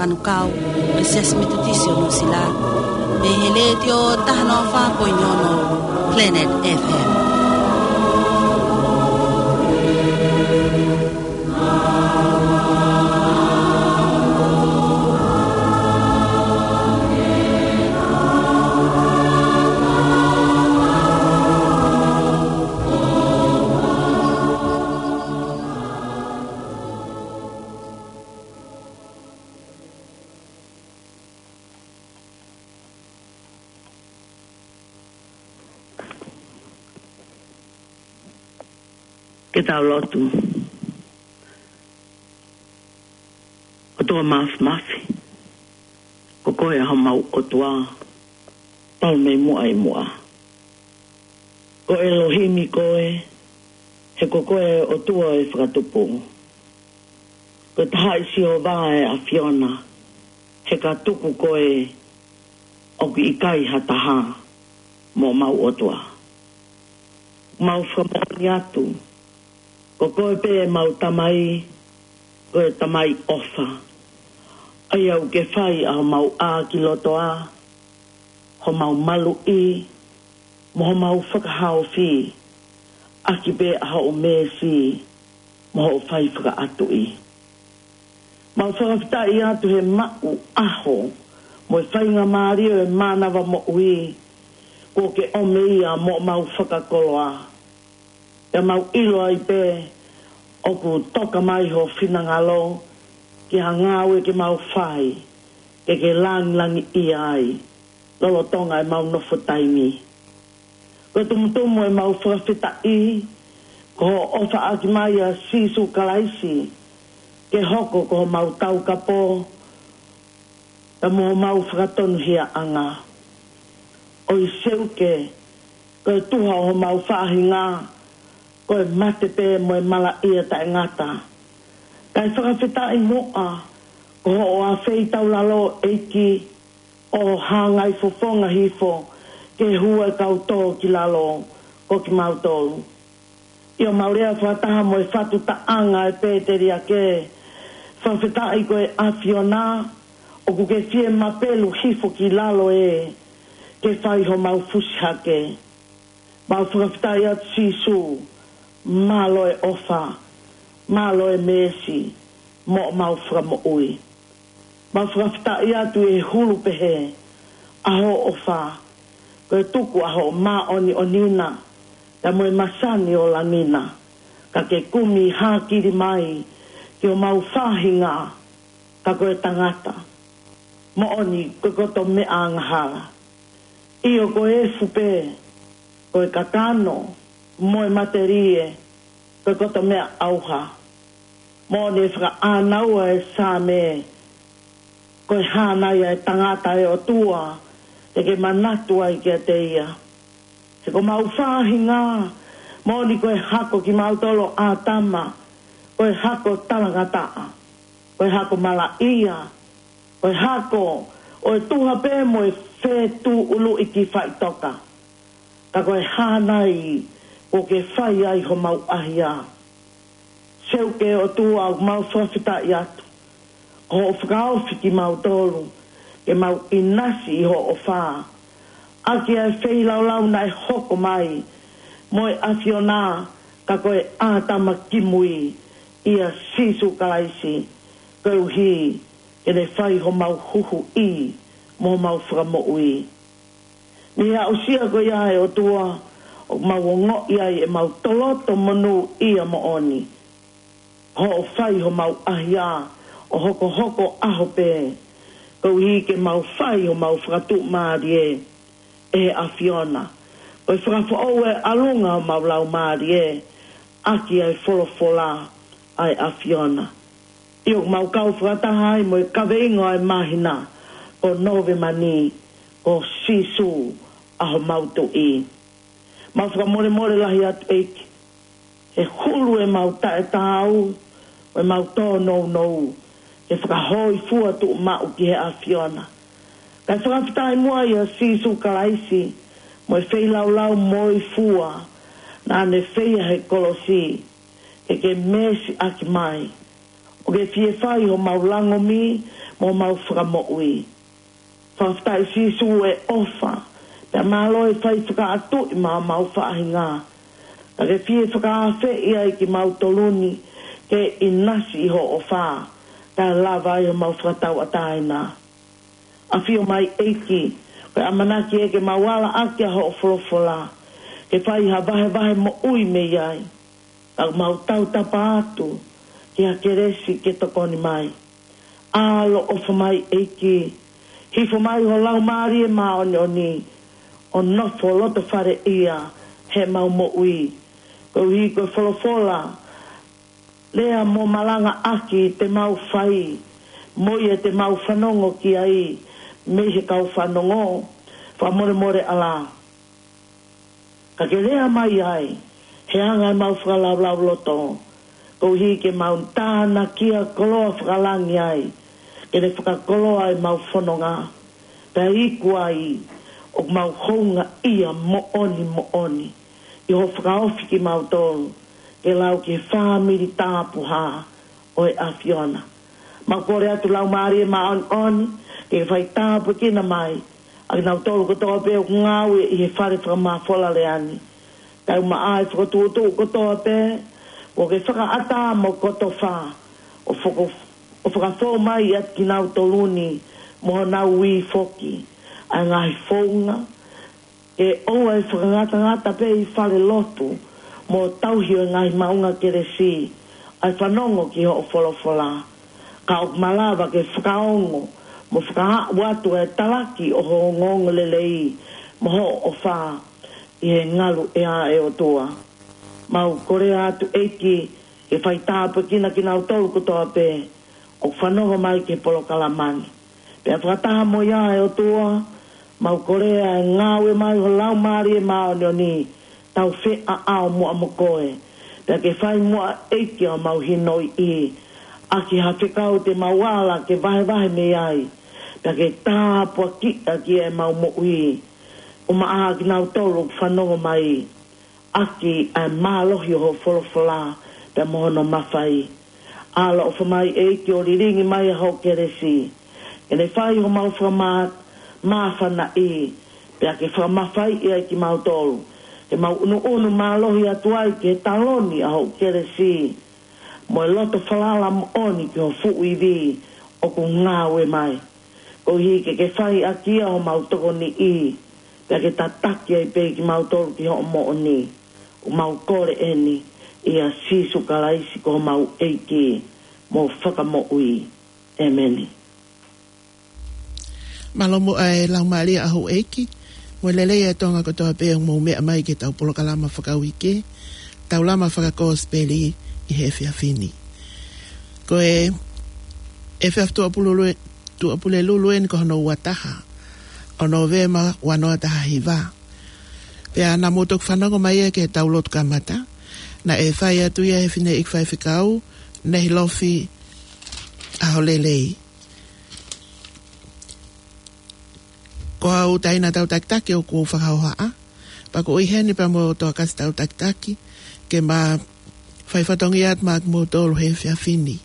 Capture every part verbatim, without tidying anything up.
Manukau, ʻo e Siasi Metotisi ʻo Nuʻusila, mei he Letiō taha noa fā poini ono Planet F M. Ke tau lotu. ʻOtua Māfimafi, ko koe ʻa homau ʻOtua, talu mei muʻa ʻi muʻa. Ko ʻElohimi koe, he ko koe ʻOtua ʻo e fakatupu. Ko e Tahaʻi Sihova ʻa e ʻAfiona, he ka tuku koe ʻoku ʻikai ha taha mo homau ʻOtua. Mau fakamoʻoni atu, ko koe pē ʻemau Tamai, ko e Tamai ʻofa. ʻA ia ʻoku ke fai ʻa homau ʻākilotoa, homau maluʻi, mo homau fakahaofi, ʻaki pē ʻa hoʻo meesi, mo hoʻo fai fakaʻatuʻi. Mau fakafetaʻi atu he maʻu ʻaho, mo e faingamālie ʻo e mānava moʻui, kuo ke ʻomi ia mo homau fakakoloa. Pea mau ʻilo ai pē, ʻoku toka mai ho finangalo, ki ha ngāue ke mau fai, ke ke langilangiʻia ai, lolotonga ʻemau nofo taimi. Ko e tumutumu ʻemau fakafetaʻi, ko hoʻo ʻofaʻaki mai ʻa Sīsū Kalaisi, ke hoko ko homau taukapo, pea mo homau fakatonuhiaʻanga. ʻOi Seuke, ko e tuha ʻo homau faʻahinga, ko e mate pē mo e malaʻia taʻengata. Kae fakafetaʻi muʻa, ko hoʻo afeitaulalo ʻEiki, ʻo hāngai fofonga hifo, ke hū e kau tō ki lalo, ko kimautolu. ʻIo mau lea fakataha mo e fatu taʻanga ʻe Pēteliake, fakafetaʻi ko e ʻAfiona, ʻoku ke fie mapelu hifo ki lalo ē, ke fai homau fusi hake. Mau fakafetaʻi atu Sīsū, mālō e ʻofa, mālō e meesi, mo homau fakamoʻui. Mau fakafetaʻi atu ʻi he hulu pehē, ʻa hoʻo ʻofa, ko e tuku ʻa hoʻo māʻoniʻoni na, pea mo e masani ʻo langi na, ka ke kumi hākili mai, ki homau faʻahinga, ka ko e tangata. Moʻoni ko e koto meʻa angahala. ʻIo ko e efu pē, ko e kakano, mo e matelie, ko e koto meʻa ʻauha. Moʻoni ʻe fakaʻānaua ʻe Saame, ko e hānai ʻa e tangata ʻe ʻOtua, ʻe ke manatu ai kiate ia. He ko homau faʻahinga, moʻoni ko e hako kimautolu ʻo ʻĀtama, ko e hako talangataʻa, ko e hako malaʻia, ko e hako ʻo e tuha pē mo e fetuʻuluʻi ki faʻitoka. Ka ko e hānai ʻoku ke fai ai homau ʻahiʻahi. Seuke ʻOtua ʻoku mau fakafetaʻi atu. Ko hoʻo fakaofi kimautolu, ke mau ʻinasi ʻi hoʻo ʻofa. ʻAki ʻa e feilaulau naʻe hoko mai, mo e ʻAfiona, ka ko e ʻĀtama kimui, ʻia Sīsū Kalaisi, koeʻuhi, ke ne fai homau huhuʻi, mo homau fakamoʻui. Mei he aʻusia ko ia ʻe ʻOtua, ʻoku mau ongoʻi ai ʻemau toloto monūʻia moʻoni. Hoʻo fai homau ʻahiʻahi, ʻo hokohoko ʻaho pē, koeʻuhi ke mau fai homau fakatuʻumālie, ʻe he ʻAfiona. Ko e fakafoʻou ʻa e ʻalunga homau laumālie, ʻaki ʻa e folofola, ʻa e ʻAfiona. ʻIo ʻoku mau kau fakataha ai mo e kaveinga ʻo e māhina, ko Nōvema ni, ko Sīsū ʻa homau Tuʻi. Mau fakamolemole lahi atu ʻEiki, he hulu ʻemau taʻetaau, ʻemau tōnounou, ke fakahōifua tuʻumaʻu ki he ʻAfiona. Kae fakafetaʻi muʻa ʻia Sīsū Kalaisi, mo e feilaulau moifua, naʻa ne feia he kolosi, ke ke meesi ʻaki mai, ʻOku ke fie fai homau langomi mo homau fakamoʻui. Fakafetaʻi Sīsū e ʻofa, pea mālō e fai fakaʻatuʻi maʻa homau faʻahinga. Ka ke fie fakaafeʻi ai kimautolu ni ke ʻinasi ʻi hoʻo ʻofa, kae lava ai homau fakatauʻatāina. ʻAfio mai ʻEiki, ko e ʻamanaki ē ke mau ala ʻaki ʻa hoʻo folofola, ke fai ha vahevahe moʻui mei ai. Ka ʻoku mau tautapa atu ki ha kelesi ke tokoni mai. ʻAloʻofa mai ʻEiki, hifo mai ho Laumālie Māʻoniʻoni, ʻo nofo loto fale ia heʻemau moʻui. Koeʻuhi ko e folofola, lea mo malanga ʻaki te mau fai, mo ia te mau fanongo ki ai, mei he kau fanongo, fakamolemole ʻAlā. Ka ke lea mai ai, he anga ʻemau fakalaulauloto, koeʻuhi ke mau tānakia koloa fakalangi ai, ke ne fakakoloa ʻemau fononga, pea iku ai, ʻoku mau houngaʻia moʻoni moʻoni, ʻi hoʻo fakaofi kimautolu, ke lau ki he fāmili tāpuhā ʻo e ʻAfiona. Mau kole atu Laumālie Māʻoniʻoni, ke fai tāpuekina mai ʻa kinautolu kotoa pē ʻoku ngāue ʻi he fale fakamafola lea ni. Taumaʻa e fokotuʻutuʻu kotoa pē, ʻoku ke fakaʻatā mo kotofa, ʻo foko-, ʻo fakafou mai ʻiate kinautolu ni, mo honau ui foki, ʻa e ngaahi founga, ke ʻoua ʻe fakangatangata pē ʻi fale lotu, mo tauhi ʻo e ngaahi maʻunga kelesi, ʻa e fanongo ki hoʻo folofola. Ka ʻoku malava ke fakaongo, mo fakaaʻu atu e talaki ʻo ho ongoongolelei, mo hoʻo ʻofa, ʻi he ngalu ʻea ʻe ʻOtua. Mau kole atu ʻEiki, ke fai tāpuekina kinautolu kotoa pē, ʻoku fanongo mai ki he polokalama ni. Pea fakataha mo ia ʻe ʻOtua, mau kole ʻa e ngāue mai ho Laumālie Māʻoniʻoni, tau feʻaʻao muʻa mo koe. Pea ke fai muʻa ʻEiki ʻa homau hinoiʻi, ʻaki ha fekau te mau ala ke vahevahe mei ai. Pea ke tāpuakiʻi ʻaki ʻemau moʻui. ʻUmaʻā kinautolu ʻoku fanongo mai ʻaki ʻa e mālohi ʻo ho folofola, pea mo hono mafai. ʻAloʻofa mai ʻEiki ʻo lilingi mai ʻa hoʻo kelesi. Ke ne fai homau fakamā-, māfanaʻi, pea ke fakamafaiʻi ai kimautolu. Ke mau ʻunuʻunu mālohi atu ai ki he taloni ʻa hoʻo kelesi. Mo e loto falala moʻoni ki ho fuʻu ivi ʻoku ngāue mai. Koeʻuhi ke ke fai ʻaki ʻa homau tokoniʻi, pea ke tataki ai pē kimautolu ki hoʻo moʻoni. ʻOku mau kole eni, ʻia Sīsū Kalaisi ko homau ʻEiki, mo fakamoʻui. ʻEmeni. Mālō muʻa e Laumālie ʻa houʻeiki, mo e lelei ʻa e Tonga kotoa pē ʻoku mou meʻa mai ki heʻetau polokalama fakauike, Taulama Fakakosipeli ʻi he efiafi ni. Ko e efiafi Tuʻapulelulu, Tuʻapulelulu eni ko hono ua taha ʻo Nōvema ua noa taha hiva. Pea naʻa mou toki fanongo mai ia ki heʻetau lotu kamata, naʻe fai atu ia ʻe he fineʻeiki faifekau, Nehilofi ʻAholelei. Ko au Taina Tautakitaki ʻoku ou fakahohaʻa, pea ʻoku ou ʻi heni pea mo Toketā Tautakitaki, ke ma fai fatongia atu maʻa kimoutolu he efiafi ni.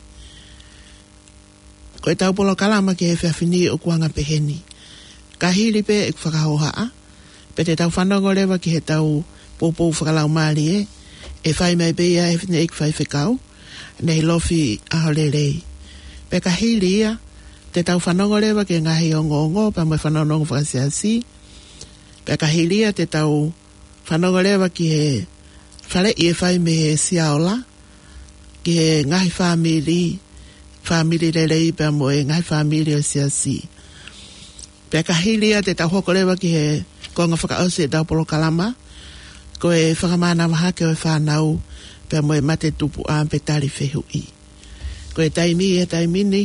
Ko ʻetau polokalama ki he efiafi ni ʻoku anga peheni. Ka hili pē ʻeku fakahohaʻa, pea te tau fanongo leva ki heʻetau poupou fakalaumālie, ʻe fai mai pē ia ʻe he fineʻeiki faifekau, Nehilofi ʻAholelei. Pea ka hili ia, te tau fanongo leva ki he ngaahi ongoongo, pea mo e fanongonongo fakasiasi. Pea ka hili ia te tau fanongo leva ki he faleʻi ʻe fai mei he Siaola, ki he ngaahi fāmili, fāmili lelei pea mo e ngaahi fāmili ʻo e siasi. Pea ka hili ia te tau hoko leva ki he konga fakaʻosi ʻetau polokalama, ko e fakamānava hake ʻo e fānau, pea mo e mate tupuʻa pe tali fehuʻi. Ko e taimi, he taimi ni,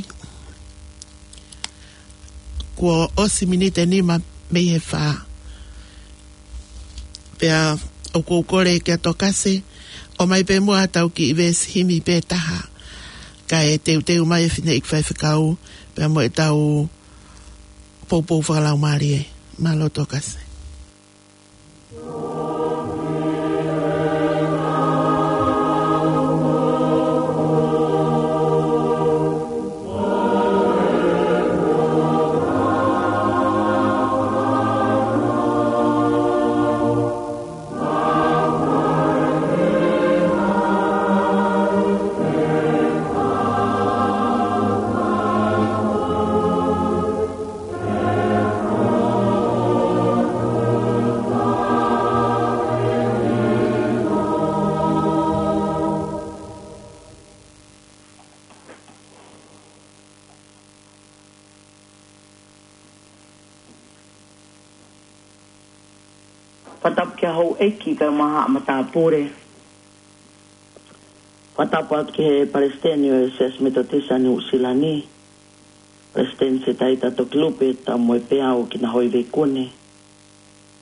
kuo ʻosi miniti ʻe nima mei he fā. Pea ʻoku ou kole kia Tokase, ʻomai pē muʻa ʻetau kiʻi veesi himi pe taha. Kae teuteu mai e fineʻeiki faifekau, pea mo ʻetau poupou fakalaumālie. Mālō Tokase. Fakatapu ki he houʻeiki kae ʻumaʻā haʻa matāpule. Fakatapu atu ki he palesiteni ʻo e Siasi Metotisi ʻa Nuʻusila ni, Palesiteni Setaita Tokilupe Taumuepeau Kinahoiveikune.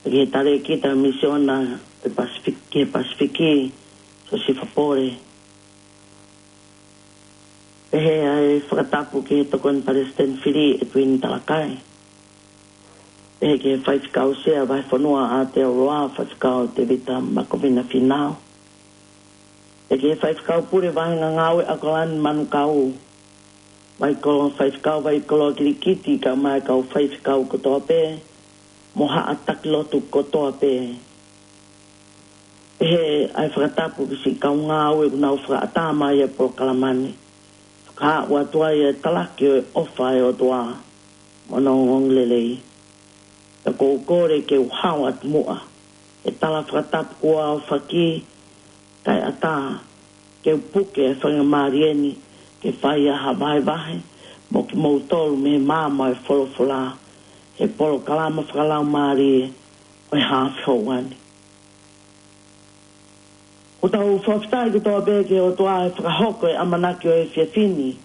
Ki he talēkita misiona ʻo e Pasifiki, ki he Pasifiki, Siosifa Pole. Pehē ʻa e fakatapu ki he tokoni palesiteni fili ʻEtuini Talakai. Pehē ki he faifekau sea Vahefonua ʻa Aotearoa, faifekau Tevita Makovina Finau. Pehē ki he faifekau pule vahenga ngāue ʻAokalani Manukau. Vaikolo, faifekau Vaikolo Kilikiti kae ʻumaʻā e kau faifekau kotoa pē, mo haʻa taki lotu kotoa pē. Pehē ʻa e fakatapu ki siʻi kau ngāue ʻoku nau fakaʻatā mai ʻa e polokalama ni. Fakaaʻu atu ai ʻa e talaki ʻo e ʻofa ʻa e ʻOtua mo hono ongoongolelei. Pea ʻoku ou kole ke u hao atu muʻa he tala fakatapu kuo aofaki, kae ʻatā ke u puke e faingamālie ni ke fai ai ha vahevahe mo kimoutolu mei he maama ʻo e folofola he polokalama fakalaumālie ʻo e haʻofanga ni. ʻOku tau fakafetaʻi kotoa pē ki he ʻOtua he fakahoko e ʻamanaki ʻo e efiafi ni.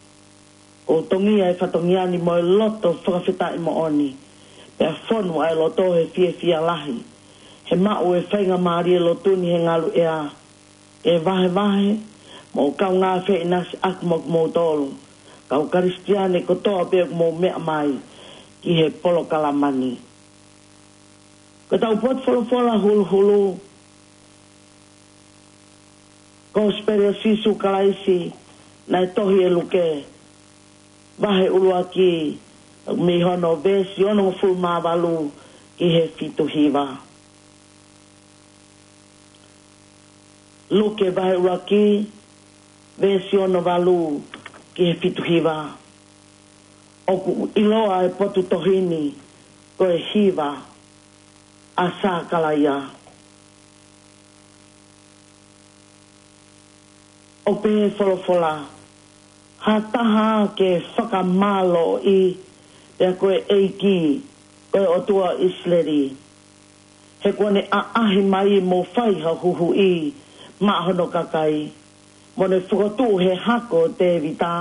ʻOku tongia e fatongia ni mo e loto fakafetaʻi moʻoni, pea fonu ʻa e loto he fiefia lahi he maʻu e faingamālie lotu ni he ngaluʻea, ke vahevahe mo kaungā feʻinasiʻaki mo kimoutolu kau Kalisitiane kotoa pē ʻoku mou meʻa mai ki he polokalama ni. Ko ʻetau potu folofola huluhulu, Kosipeli ʻa Sīsū Kalaisi naʻe tohi ʻe Luke, vahe ʻuluaki, mei hono veesi onongofulu mā valu ki he fitu hiva. Luke vahe ʻuluaki, veesi ono valu ki he fitu hiva. ʻOku ʻiloa e potu tohi ni ko e hiva ʻa Sakalaia. ʻOku pehē folofola, ha taha ke fakamālōʻia ko e ʻEiki, ko e ʻOtua ʻIsileli. He kuo ne ʻaʻahi mai mo fai ha huhuʻi maʻa hono kakai, mo ne fokotuʻu he hako ʻo Tēvita,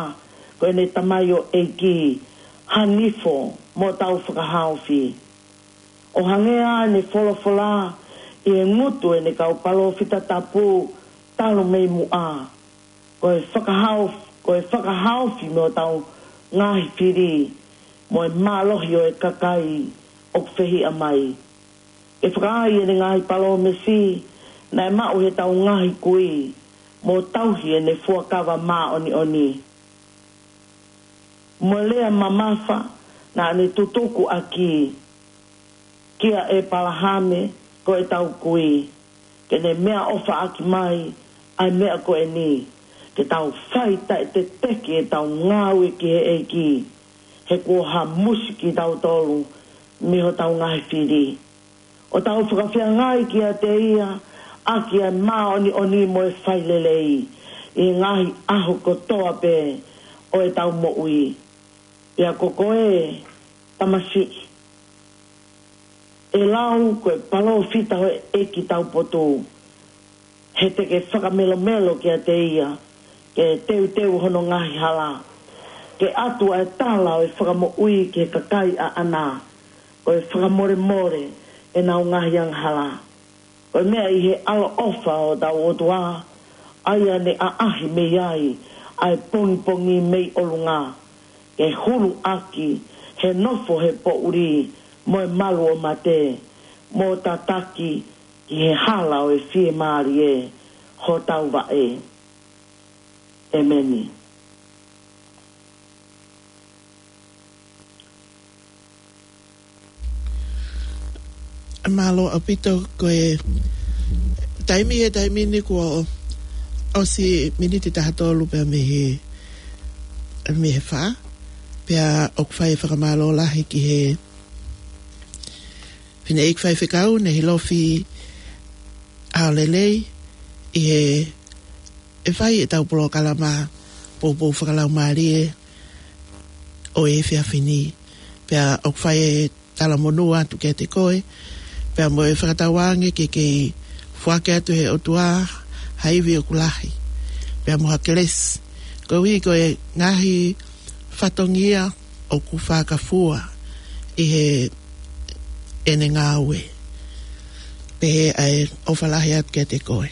ko ʻene tamaioʻeiki, ha nifo mo tau fakahaofi. ʻO hangē ʻa ʻene folofola ʻi he ngutu ʻene kau palōfita tapu talu mei muʻa. Ko e fakahaof-, ko e fakahaofi mo tau ngaahi fili, mo e mālohi ʻo e kakai ʻoku fehiʻa mai. Ke fakaai ʻene ngaahi palōmesi naʻe maʻu he tau ngaahi kui, mo tauhi ʻene fuakava māʻoniʻoni. Mo e lea mamafa naʻa ne tutuku ʻaki kia ʻEpalahame ko e tau kui, ke ne meʻaʻofaʻaki mai ʻa e meʻa ko eni, ke tau fai taʻeteteki ʻetau ngāue ki he ʻEiki, he kuo hamusi kitautolu mei hotau ngaahi fili. ʻO tau fakafeangai kiate ia ʻaki ʻa e māʻoniʻoni mo e failelei ʻi he ngaahi ʻaho kotoa pē ʻo ʻetau moʻui. Pea ko koe, tamasiʻi, ʻe lau ko e palōfita ʻo e ʻEiki taupotu, he te ke fakamelomelo kiate ia, ke teuteu hono ngaahi hala, ke ʻatu ʻa e tala ʻo e fakamoʻui ki he kakai ʻaʻana, ko e fakamolemole ʻenau ngaahi angahala. Ko e meʻa ʻi he ʻaloʻofa ʻo hotau ʻOtua, ʻa ia ne ʻaʻahi mei ai ʻa e pongipongi mei ʻolunga, ke hulu ʻaki he nofo he poʻuli mo e malu ʻo mate, mo tataki ki he hala ʻo e fiemālie hotau vaʻe. ʻEmeni. Mālō ʻaupito. Ko e taimi he taimi ni kuo ʻosi miniti taha tolu pea mei he, mei he fā. Pea ʻoku fai e fakamālō lahi ki he fineʻeiki faifekau ne hilofi ʻaho lelei ʻi he, ʻe fai ʻetau polokalama poupou fakalaumālie ʻo e efiafi ni. Pea ʻoku fai e talamonū atu kiate koe, Pea mo e fakatauange ke kei foaki atu he ʻOtua ha ivi ʻoku lahi, pea mo ha kelesi, koeʻuhi ko e ngaahi fatongia ʻoku fakafua ʻi heʻene ngāue. Pehē ʻa e ʻofa lahi atu kiate koe.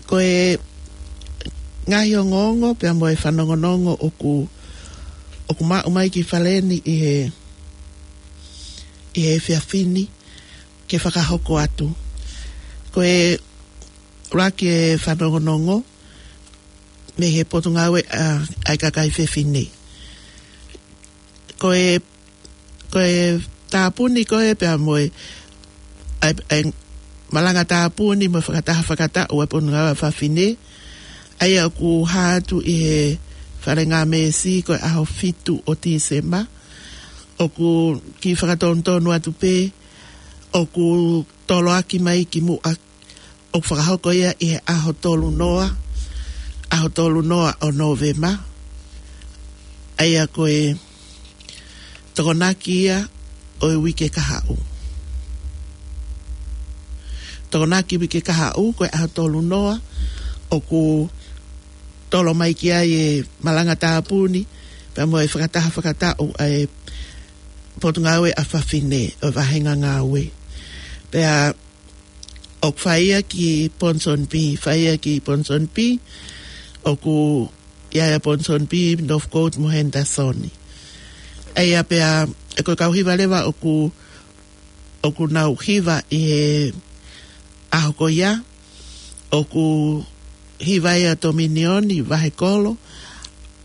Ko e ngaahi ongoongo pea mo e fanongonongo ʻoku, ʻoku maʻu mai ki fale ni ʻi he, ʻi he efiafi ni ke fakahoko atu. Ko e ʻuluaki e fanongonongo mei he Potungāue ʻa, ʻa e Kakai Fefine. Ko e, ko e tāpuni ko ē pea mo e, ʻa e, ʻa e malanga tāpuni mo e fakataha fakataʻu ʻa e Potungāue ʻa Fafine, ʻa ia ʻoku hā atu ʻi he Fale Ngāmesi ko e ʻaho fitu ʻo Tīsema, ʻoku kiʻi fakatonutonu atu pē, ʻoku toloaki mai ki muʻa, ʻoku fakahoko ia ʻi he ʻaho tolu noa, ʻaho tolu noa ʻo Nōvema, ʻa ia ko e Tokonaki ia ʻo e uike kahaʻu. Tokonaki uike kahaʻu ko e ʻaho tolu noa, ʻoku tolo mai ki ai e malanga tāpuni, pea mo e fakataha fakataʻu ʻa e Potungāue ʻa Fafine ʻo e Vahenga Ngāue. Pea ʻoku fai ia ki Ponsonby, fai ia ki Ponsonby, ʻoku ʻi ai ʻa Ponsonby, Northcote mo Henderson. ʻA ia pea, ʻe ko e kau hiva leva ʻoku, ʻoku nau hiva ʻi he ʻaho ko ia, ʻoku hiva ia Tominioni, Vahekolo,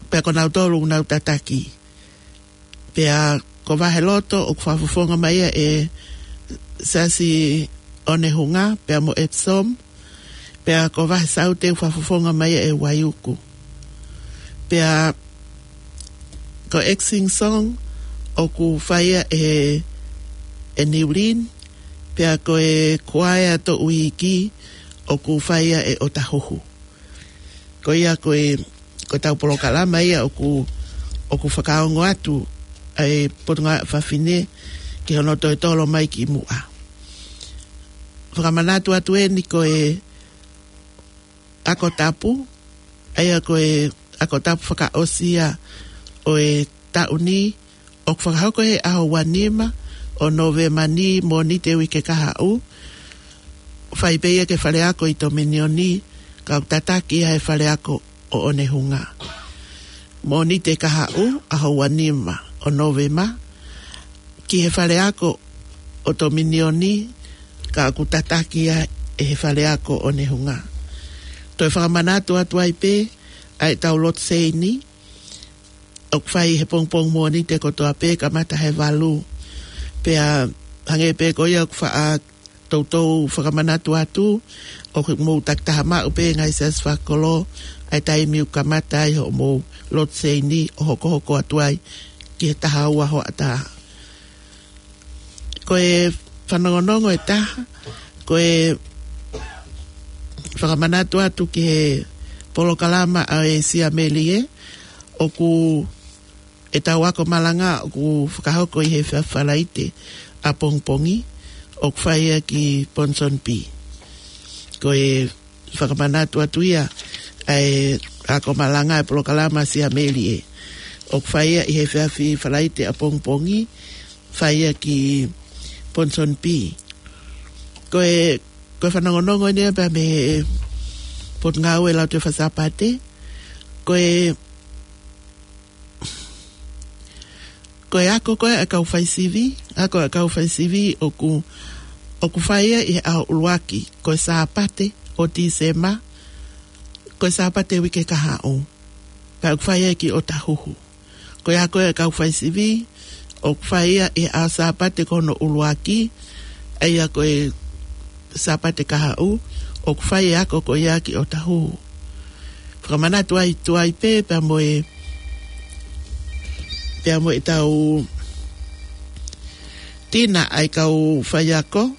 pea ko nautolu ʻoku nau tataki. Pea ko Vaheloto ʻoku fakafofonga mai ia ʻe Siasi ʻOnehunga, pea mo Epsom, pea ko Vahesaute ʻoku fakafofonga mai ia ʻe Waiuku. Pea ko Exing Song ʻoku fai ia ʻe, ʻe Niulin, pea ko e Kuaea Toʻuiki ʻoku fai ia ʻe ʻOtahuhu. Ko ia ko e, ko ʻetau polokalama ia ʻoku, ʻoku fakaongo atu ʻa e Potungāue ʻa Fafine ki hono toe tolo mai ki muʻa. Fakamanatu atu eni ko e Ako Tapu, ʻa ia ko e Ako Tapu fakaʻosi ia ʻo e taʻu ni, ʻoku fakahoko he ʻaho ua nima ʻo Nōvema ni, Mōnite uike kahaʻu, fai pē ia ki he fale ako ʻi Tominioni, ka ʻoku tataki ia he fale ako ʻo ʻOnehunga. Mōnite kahaʻu, ʻaho ua nima ʻo Nōvema, ki he fale ako ʻo Tominioni, ka ʻoku tataki ia ʻe he fale ako ʻo ʻOnehunga. Toe fakamanatu atu ai pē ʻa ʻetau lotu seini, ʻoku fai he pongipongi Mōnite kotoa pē kamata he valu. Pea hangē pē ko ia ʻoku faʻa toutou fakamanatu atu, ʻoku mou takitaha maʻu pē ngaahi siasi fakakolo ʻa e taimi ʻoku kamata ai hoʻomou lotu seini ʻo hokohoko atu ai ki he taha ua hoʻatā. Ko e fanongonongo ʻe taha, ko e fakamanatu atu ki he polokalama ʻa e Siamelie, ʻoku ʻetau ako malanga ʻoku fakahoko ʻi he efiafi Falaite ʻapongipongi, ʻoku fai ia ki Ponsonby. Ko e fakamanatu atu ia ʻa e ako malanga ʻa e polokalama Siamelie, ʻoku fai ia ʻi he efiafi Falaite ʻapongipongi, fai ia ki Ponsonby. Ko e, ko e fanongonongo eni ia pea mei he Potungāue Lautohi Faka-Sāpate. Ko e, ko e ako ko ē ʻa e kau faisivi, ako ʻa e kau faisivi ʻoku, ʻoku fai ia ʻi he ʻaho ʻuluaki, ko e Sāpate ʻo Tīsema, ko e Sāpate uike kahaʻu. Pea ʻoku fai ia ki ʻOtahuhu. Ko e ako ia ʻa e kau faisivi, ʻoku fai ia ʻi he ʻaho Sāpate ko hono ʻuluaki, ʻa ia ko e Sāpate kahaʻu, ʻoku fai e ako ko ia ki ʻOtahuhu. Fakamanatu atu ai pē, pea mo e, pea mo ʻetau tina ʻa e kau faiako,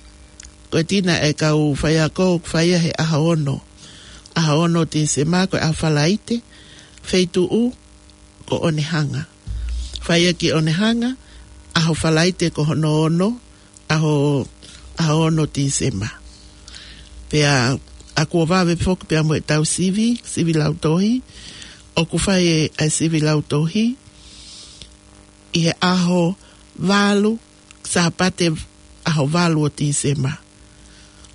ko e tina ʻa e kau faiako, ʻoku fai ia he ʻaho ono. ʻAho ono Tīsema ko e ʻaho Falaite, feituʻu ko ʻOnehunga. Fai ia ki ʻOnehunga, ʻaho Falaite ko hono ono, ʻaho, ʻaho ono Tīsema. Pea ʻoku ʻoatu pē foki pea mo ʻetau sivi, sivi lautohi, ʻoku fai ʻa e sivi lautohi ʻi he ʻaho valu, Sāpate ʻaho valu ʻo Tīsema.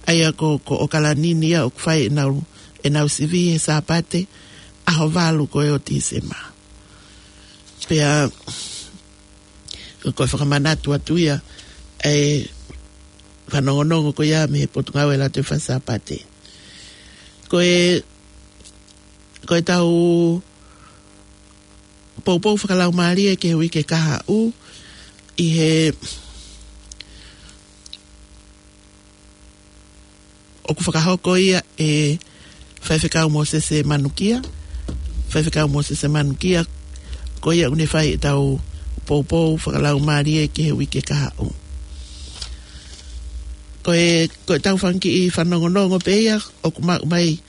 ʻA ia ko, ko ʻAokalani ia ʻoku fai ʻenau, ʻenau sivi he Sāpate ʻaho valu ko ē ʻo Tīsema. Pea ko e fakamanatu atu ia ʻa e fanongonongo ko ia mei he Potungāue Lotu Faka-Sāpate. Ko e, ko ʻetau poupou fakalaumālie ki he uike kahaʻu ʻi he ʻoku fakahoko ia ʻe Faifekau Mōsese Manukia. Faifekau Mōsese Manukia, ko ia ʻoku ne fai ʻetau poupou fakalaumālie ki he uike kahaʻu. Ko e, ko ʻetau fanga kiʻi fanongonongo pē ia ʻoku maʻu mai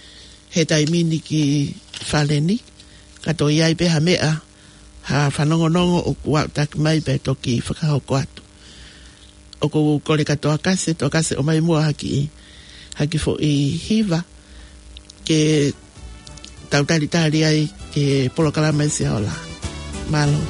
he taimi ni ki fale ni, ka toe ʻi ai pē ha meʻa, ha fanongonongo ʻoku aʻutaki mai pea toki fakahoko atu. ʻOku ou kole kia Toakase, Toakase ʻomai muʻa ha kiʻi, ha kiʻi foʻi hiva ke tau talitali ai ki he polokalama ʻi Siaola. Mālō.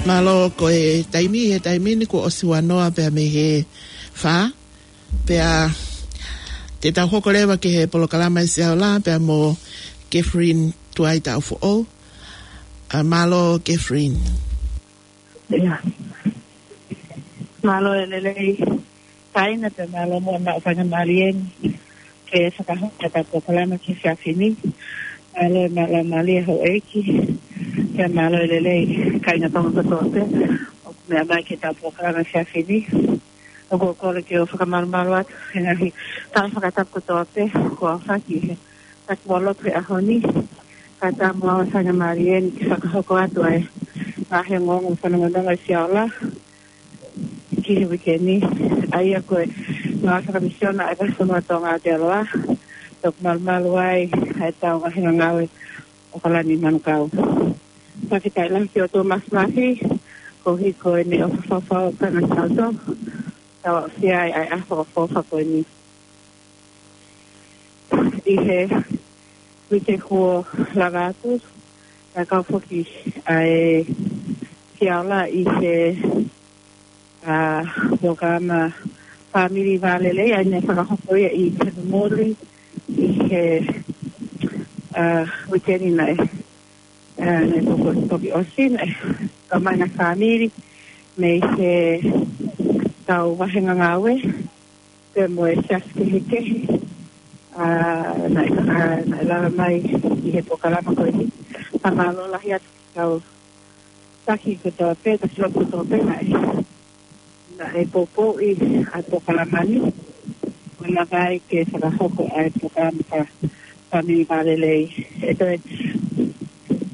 Mālō, ko e taimi, he taimi ni kuo ʻosi ua noa pea mei he fā. Pea te tau hoko leva ki he polokalama ʻi Siaola pea mo Catherine Tuaita ʻOfoʻou. ʻA, mālō, Catherine. ʻIa. Mālō e lelei kāinga, pea mālō muʻa maʻu faingamālie ni ke fakahoko ʻetau polokalama ki he efiafi ni. Mālō e mālō mālie houʻeiki. Pea mālō e lelei kāinga Tonga kotoa pē ʻoku meʻa mai ki heʻetau polokalama efiafi ni. ʻOku ou kole ke u fakamalumalu atu he ngaahi tala fakatapu kotoa pē kuo aofaki he taki mo lotu he ʻaho ni. Kae ʻatā muʻa ʻa e faingamālie ni ke fakahoko atu ʻa e ngaahi ongoongo fanongonongo ʻi Siaola ki he uike ni. ʻA ia ko e ngāue fakamisiona ʻa e Vahefonua Tonga ʻo Aotearoa, ʻoku malumalu ai ʻa ʻetau ngaahi ngāue ʻo ʻAokalani Manukau. Fakafetaʻi lahi ki he ʻOtua Māfimafi, koeʻuhi ko ʻene ʻofa fau ʻoku tau ʻi ai, tau aʻusia ai ʻa e ʻaho fakaʻofoʻofa ko eni. ʻI he uike kuo lava atu, naʻe kau foki ʻa e Siaola ʻi he, ʻa, polokalama Fāmili Vālelei, ʻa ia naʻe fakahoko ia ʻi Tanumuli ʻi he, ʻa, uike ni naʻe ʻA, naʻe toki, toki ʻosi, naʻe, ka mai na fāmili, mei he tau vahenga ngāue, pea mo e siasi kehekehe, ʻa, naʻe, ʻa, naʻe lava mai ʻi he polokalama ko eni. Fakamālō lahi atu ki he kau taki kotoa pē, taki lotu kotoa pē, naʻe, naʻe poupouʻi ʻa e polokalama ni, ʻo lava ai ke fakahoko ʻa e polokalama faka-, fāmili vālelei. ʻE toe,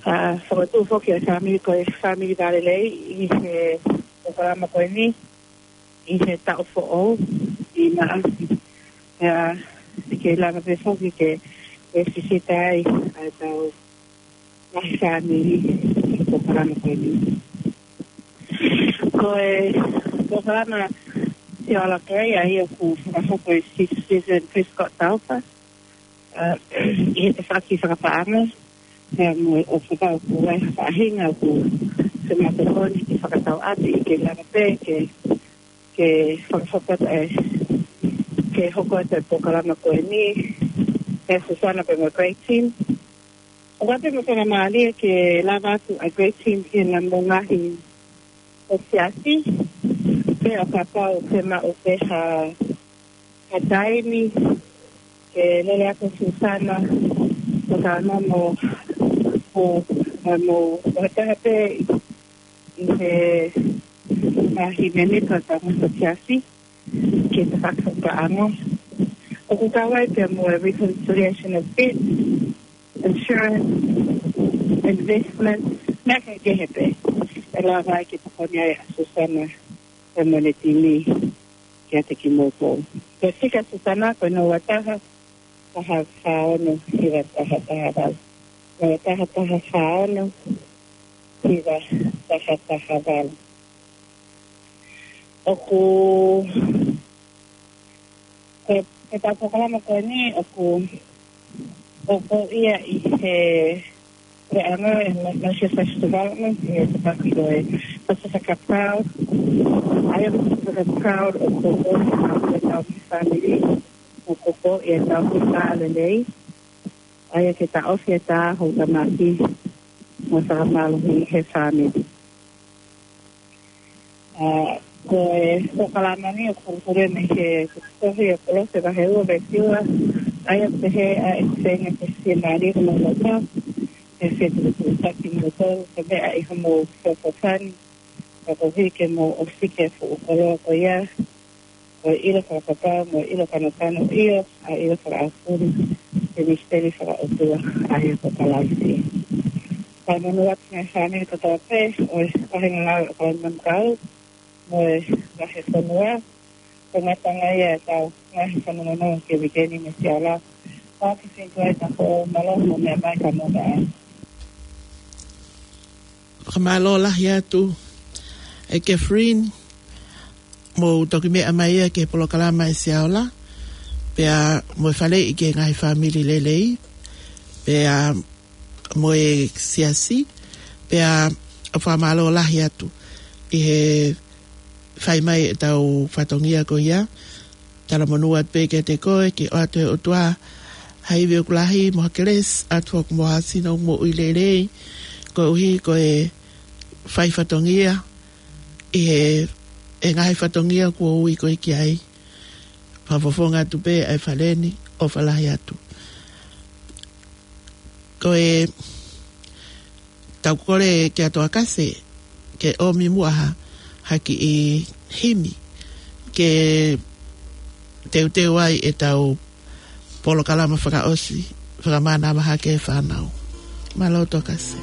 ʻa, fokotuʻu foki ʻa e fāmili ko e fāmili vālelei ʻi he polokalama ko eni, ʻi he taʻu foʻou ʻi Maʻasi. ʻIo, ʻe kei lava pē foki ke, ke sisita ai ʻa e tau ngaahi fāmili ʻi he polokalama ko eni. Ko e polokalama Siaola Kei, ʻa ia ʻoku fakahoko ʻe Sis-, Susan Prescott Taufa, ʻa, ʻi he tafaʻaki fakapaʻanga, pea mo e ʻofa ʻoku ʻi ai ha faʻahinga ʻoku fiemaʻu ke tokoni ke fakatau atu, ʻe kei lava pē ke, ke fakahoko atu e, ke hoko atu e polokalama ko eni, ʻe Susana pea mo e great team. ʻOku ʻi ai pē mo e faingamālie ke lava atu ʻa e great team ki he ngaahi ʻo e siasi, pea kapau ʻe maʻu pē ha, ha taimi ke lele atu Susana, ko tana mo, mo, mo, mo ha taha pē ʻi he ngaahi mēmipa ʻo e ngaahi ʻo e siasi, ke ta fakafakaanga. ʻOku kau ai pea mo e reconciliation of debt, insurance, investment, meʻa kehekehe pē ʻe lava ai ke tokoni ai ʻa Susana pea mo ʻene timi kiate kimoutolu. Ko e fika ʻa Susana ko e noa taha taha fā ono hiva taha taha valu. Noa taha taha fā ono hiva taha taha valu. ʻOku, ko e, ko e tau polokalama ko eni ʻoku, ʻoku ʻi ai ʻi he, ko e anga e ma-, Malaysia Social Development, ʻi he tafaʻaki ko e Pasifika Proud. ʻA ia ko e Pasifika Proud ʻoku, ʻoku ʻi ai e tau fāmili, ʻoku ʻi ai e tau fāmili lelei. ʻA ia ke taʻofi e tā houʻeiki, mo fakamālohi he fāmili. ʻA, ko e polokalama ni ʻoku hoko mei he tohi ʻa Kolose vahe ua veesi ua, ʻa ia ʻoku pehē: ʻA e feinga ke fiemālie homou loto, ke fie tuʻutuʻuni kimoutolu, ko e meʻa ʻi homou feʻofoʻofani, ka koeʻuhi ke mou ʻosiki e fuʻu koloa ko ia, ko e ʻilo fakapapau mo e ʻilo kanokano, ʻio, ʻa e ʻilo fakaʻaufuli, ʻi he misiteli fakaʻotua, ʻa ia ko Kalaisi. Fakamonū atu ki he ngaahi fāmili kotoa pē ʻo e vahenga ngāue ʻo Kalaisi mo e vahefonua, ko e ngataʻanga ia e tau ngaahi fanongonongo ki he uike ni mei Siaola. Pea ke feinga ai ta ko mālō mo e meʻa mai ka mo e meʻa ai. Fakamālō lahi atu ʻe Catherine, mou toki meʻa mai ia ki he polokalama ʻa Siaola, pea mo e faleʻi ki he ngaahi fāmili lelei, pea mo e siasi, pea fakamālō lahi atu ʻi he fai mai e tau fatongia ko ia. Talamonū atu pē kiate koe, ke ʻoatu ʻe he ʻOtua ha ivi ʻoku lahi mo ha kelesi, ʻoatu foki mo ha sino moʻui lelei, koeʻuhi ko e fai fatongia ʻi he, e ngaahi fatongia kuo ui koe ki ai. Fakafofonga atu pē ʻa e fale ni, ʻofa lahi atu. Ko e tau kole kia Toa Kase ke ʻomi muʻa ha, ha kiʻi himi ke teuteu ai e tau polokalama fakaʻosi, fakamānava hake e fānau. Mālō Toa Kase.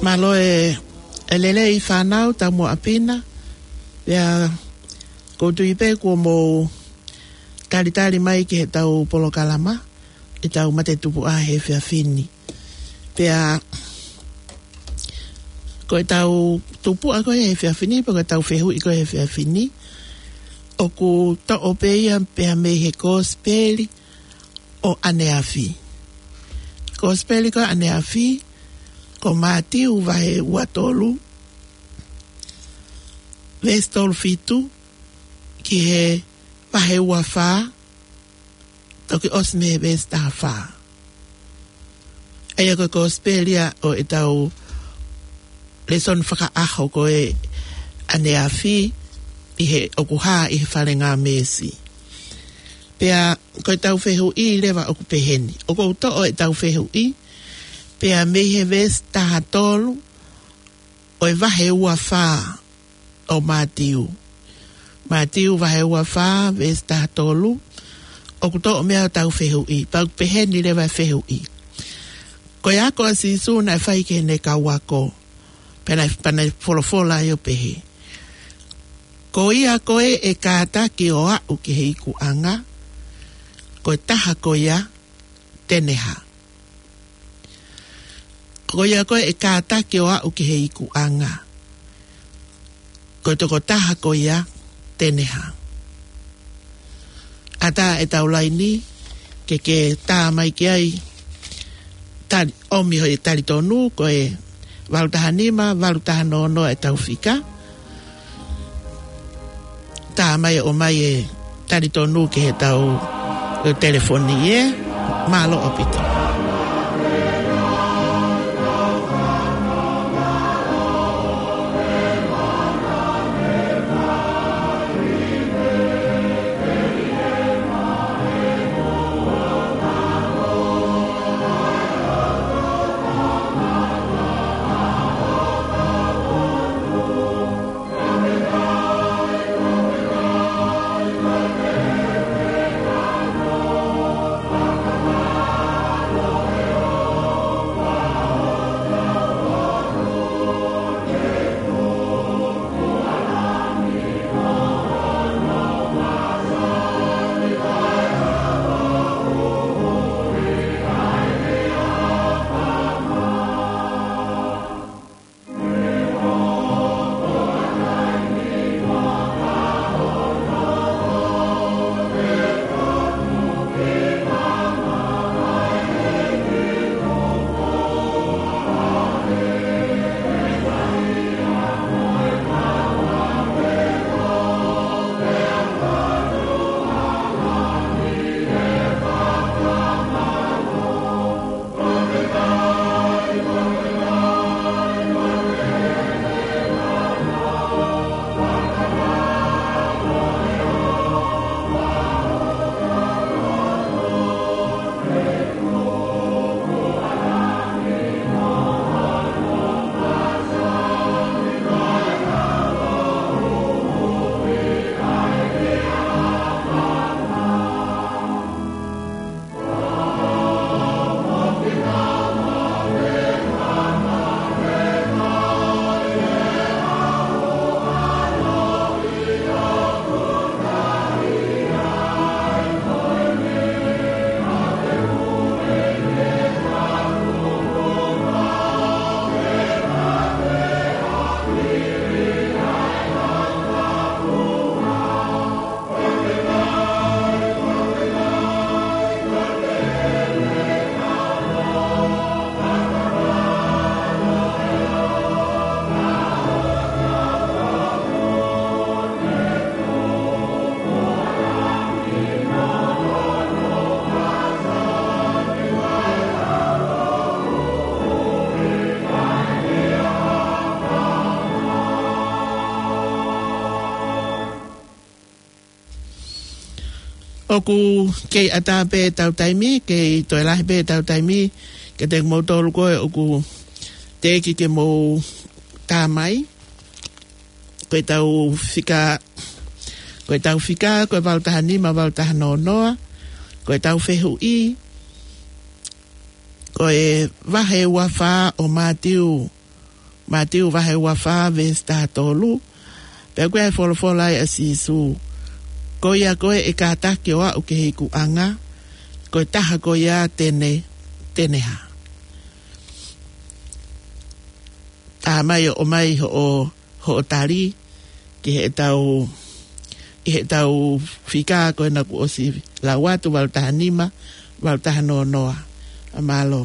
Mālō e, e lelei fānau, tau mo ʻapina. Pea ʻoku ou tui pē kuo mou talitali mai ki heʻetau polokalama, ʻetau mate tupuʻa he efiafi ni. Pea ko ʻetau tupuʻa ko ē he efiafi ni, pe ko ʻetau fehuʻi ko ē he efiafi ni, ʻoku toʻo pē ia pea mei he Kosipeli ʻo ʻaneafi. Kosipeli ko ē ʻaneafi, ko Mātiu vahe ua tolu, veesi tolu fitu, ki he vahe ua fā, toki ʻosi mei he veesi taha fā. ʻA ia ko e Kosipeli ia ʻo ʻetau lēsoni fakaʻaho ko ē ʻaneafi, ʻi he ʻoku hā ʻi he fale ngāmesi. Pea ko ʻetau fehuʻi leva ʻoku peheni. ʻOku ou toʻo ʻetau fehuʻi, pea mei he veesi taha tolu ʻo e vahe ua fā ʻo Mātiu. Mātiu vahe ua fā, veesi taha tolu, ʻoku toʻo mei ai ʻetau fehuʻi, pea ʻoku peheni leva e fehuʻi. Ko e ako ʻa Sīsū naʻe fai ki heʻene kau ako, pea naʻe, pea naʻe folofola ai ʻo pehē: Ko ia ko ē ʻe kātaki ʻo aʻu ki he ikuʻanga, ko e taha ko ia te ne hā? Ko ia ko ē ʻe kātaki ʻo aʻu ki he ikuʻanga, ko e tokotaha ko ia te ne hā? ʻAtā ʻetau laini ke ke tā mai ki ai, tali, ʻomi hoʻo talitonu, ko e valu taha nima, valu taha noa noa ʻetau fika. Tā mai, ʻomai e talitonu ki heʻetau, e telefoni ē. Mālō ʻaupito. ʻOku kei ʻatā pē ʻetau taimi, kei toe lahi pē ʻetau taimi, kiate kimoutolu ko ē ʻoku teʻeki ke mou tā mai. Ko ʻetau fika, ko ʻetau fika, ko e valu taha nima, valu taha noa noa, ko ʻetau fehuʻi, ko e vahe ua fā ʻo Mātiu, Mātiu vahe ua fā veesi taha tolu, pea ko e folofola ai ʻa Sīsū. Ko ia ko ē ʻe kātaki ʻo aʻu ki he ikuʻanga, ko e taha ko ia te ne, te ne hā. Tā mai ʻo ʻomai hoʻo, hoʻo tali, ki heʻetau, ʻi heʻetau fika ko ena kuo ʻosi lau atu valu taha nima, valu taha noa noa. ʻA mālō.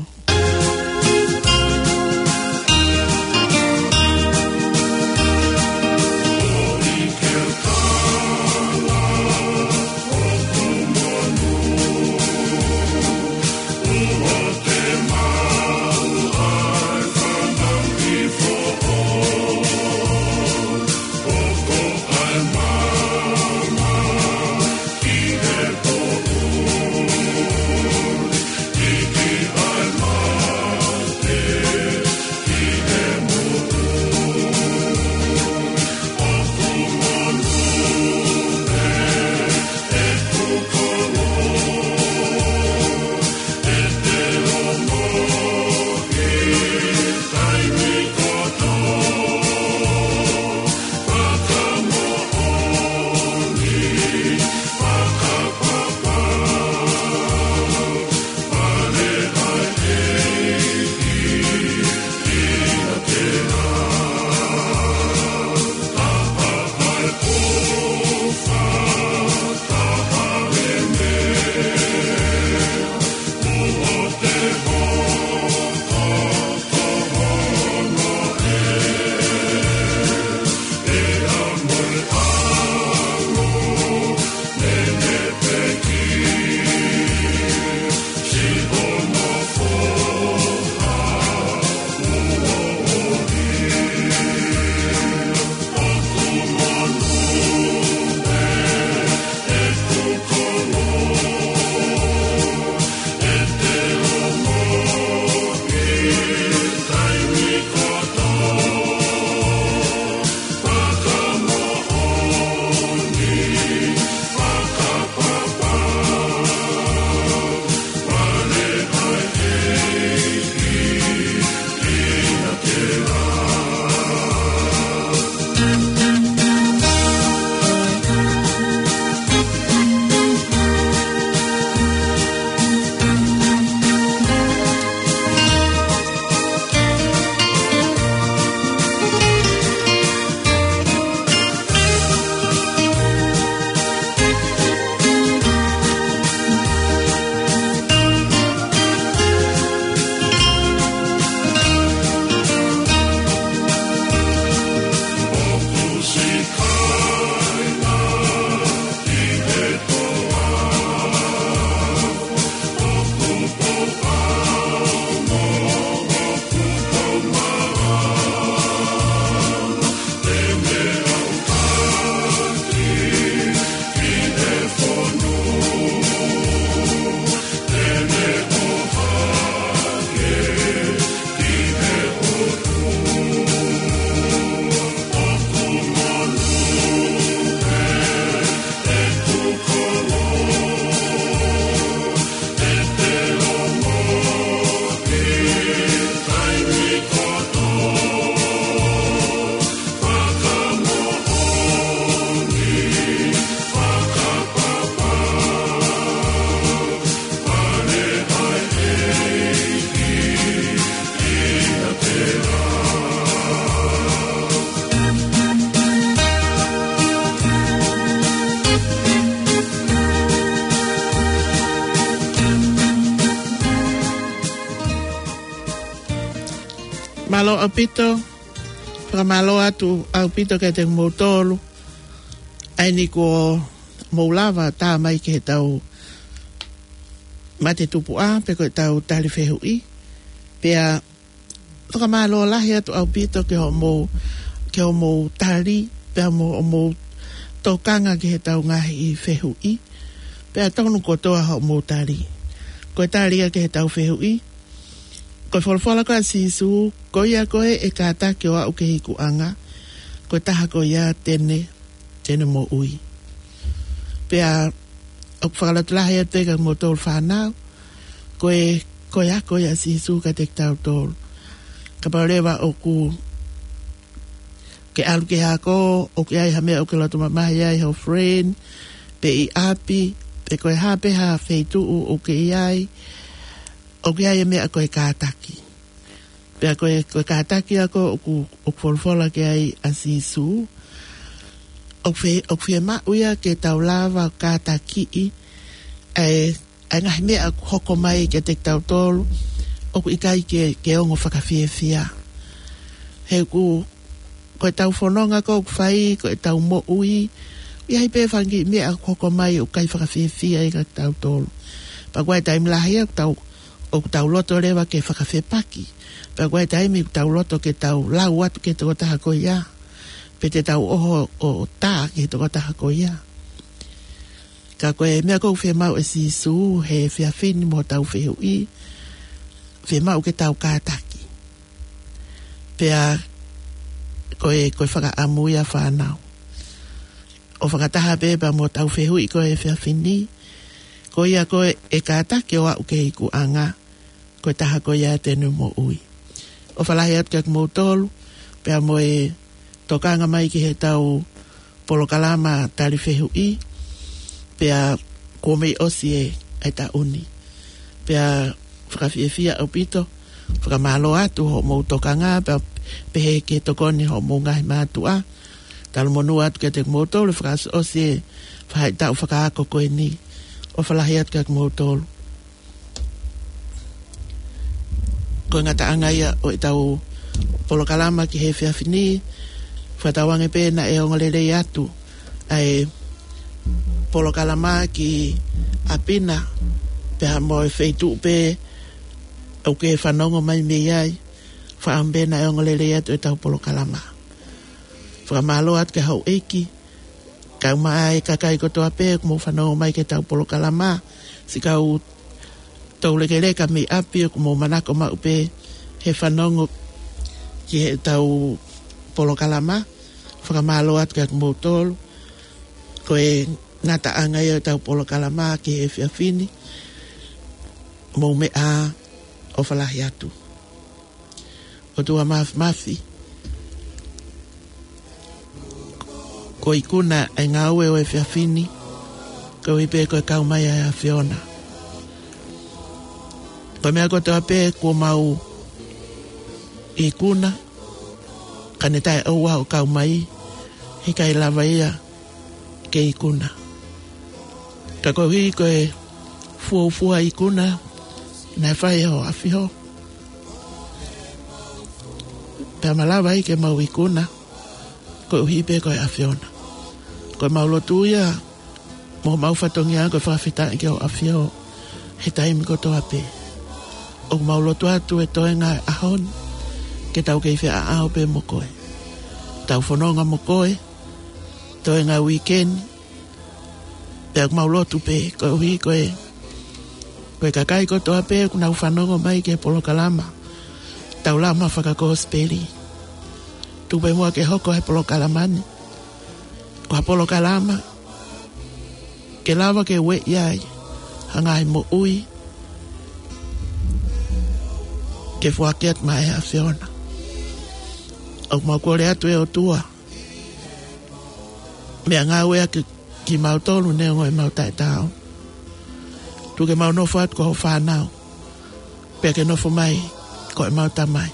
Mālō ʻaupito, fakamālō atu ʻaupito kiate kimoutolu. ʻA eni kuo mou lava tā mai ki heʻetau mate tupuʻa, pe ko ʻetau tali fehuʻi. Pea fakamālō lahi atu ʻaupito ki hoʻomou, ki hoʻomou tali, pea mo hoʻomou tokanga ki heʻetau ngaahi fehuʻi. Pea tonu kotoa hoʻomou tali. Ko e tali ia ki heʻetau fehuʻi. Ko e folofola ko ia ʻa Sīsū, ko ia ko ē ʻe kātaki ʻo aʻu ki he ikuʻanga, ko e taha ko ia te ne, te ne moʻui. Pea ʻoku fakalotolahi atu pē kia kimoutolu fānau, ko e, ko e ako ia ʻa Sīsū kiate kitautolu. Kapau leva ʻoku ke ʻalu ki he ako, ʻoku ʻi ai ha meʻa ʻoku ke loto mamahi ai, ho friend, pe ʻi ʻapi, pe ko e hā pē ha feituʻu ʻoku ke ʻi ai, ʻoku ʻi ai e meʻa ko e kātaki. Pea ko e, ko e kātaki ia ko ē ʻoku, ʻoku folofola ki ai ʻa Sīsū, ʻoku fie, ʻoku fiemaʻu ia ke tau lava ʻo kātakiʻi ʻa e ʻa e ngaahi meʻa ʻoku hoko mai kiate kitautolu, ʻoku ʻikai ke, ke ongo fakafiefia. He ʻoku, ko ʻetau fononga ko ē ʻoku fai, ko ʻetau moʻui, ʻi ai pē fanga kiʻi meʻa ʻoku hoko mai ʻoku ʻikai fakafiefia ia kia kitautolu. Pea ko e taimi lahi ia ʻoku tau, ʻoku tau loto leva ke fakafepaki. Pea ko e taimi ʻoku tau loto ke tau lau atu ki he tokotaha ko ia. Pe te tau ʻoho ʻo tā ki he tokotaha ko ia. Ka ko e meʻa ʻoku fiemaʻu ʻe Sīsū he efiafi ni mo hotau fehuʻi, fiemaʻu ke tau kātaki. Pea ko e, ko e fakaʻamu ia fānau. ʻO fakataha pē pea mo hotau fehuʻi ko e efiafi ni, ko ia ko ē ʻe kātaki ʻo aʻu ki he ikuʻanga, ko e taha ko ia te ne moʻui. ʻOfa lahi atu kia kimoutolu, pea mo e tokanga mai ki heʻetau polokalama tali fehuʻi, pea kuo mei ʻosi e, e taʻu ni. Pea fakafiefia ʻaupito, fakamālō atu hoʻomou tokanga, pea pehē ki he tokoni hoʻomou ngaahi mātuʻa. Talu monū atu kiate kimoutolu, fakaʻosiʻosi e faʻahitaʻu fakaako ko eni. ʻOfa lahi atu kia kimoutolu. Ko e ngataʻanga ia ʻo ʻetau polokalama ki he efiafi ni, fakatauange pē naʻe ongo lelei atu ʻa e polokalama ki ʻapi na, pea mo e feituʻu pē ʻoku ke fanongo mai mei ai, fakaʻamu pē naʻe ongo lelei atu ʻetau polokalama. Fakamālō atu ki he houʻeiki, kae ʻumaʻā e kakai kotoa pē ʻoku mou fanongo mai ki heʻetau polokalama, siʻi kau toulekeleka mei ʻapi ʻoku mou manako maʻu pē he fanongo ki heʻetau polokalama, fakamālō atu kia kimoutolu, ko e ngataʻanga ia ʻetau polokalama ki he efiafi ni, mou meʻa ā, ʻofa lahi atu. ʻOtua Māfimafi, ko e ikuna ʻa e ngāue ʻo e efiafi ni, koeʻuhi pē ko e kau mai ʻa e ʻAfiona. Ko e meʻa kotoa pē kuo mau ikuna, ka ne taʻeʻoua ʻo kau mai, he ʻikai lava ia ke ikuna. Ka koeʻuhi ko e fuofua ikuna naʻe fai ʻe ho ʻAfio, pea malava ai ke mau ikuna, koeʻuhi pē ko e ʻAfiona. Ko ʻemau lotu ia, mo homau fatongia ko e fakafetaʻi ki ho ʻAfio he taimi kotoa pē. ʻOku mau lotu atu he toenga e ʻaho ni, ke tau kei feʻaʻao pē mo koe. Tau fononga mo koe, toenga e uike ni, pea ʻoku mau lotu pē, koeʻuhi ko e, ko e kakai kotoa pē ʻoku nau fanongo mai ki he polokalama, Taulama Fakakosipeli. Tuku pē muʻa ke hoko e polokalama ni ko ha polokalama ke lava ke ueʻi ai ha ngaahi moʻui ke foaki atu maʻa e ʻAfiona. ʻOku mau kole atu ʻe ʻOtua, meʻangāueʻaki kimautolu neongo ʻemau taʻetaau. Tuku ke mau nofo atu ko ho fānau, pea ke nofo mai ko ʻemau Tamai.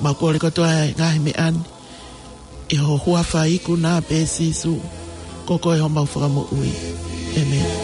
Mau kole kotoa e ngaahi meʻa ni ʻi ho huafa ikuna pē Sīsū, ko koe homau Fakamoʻui. ʻĒmeni.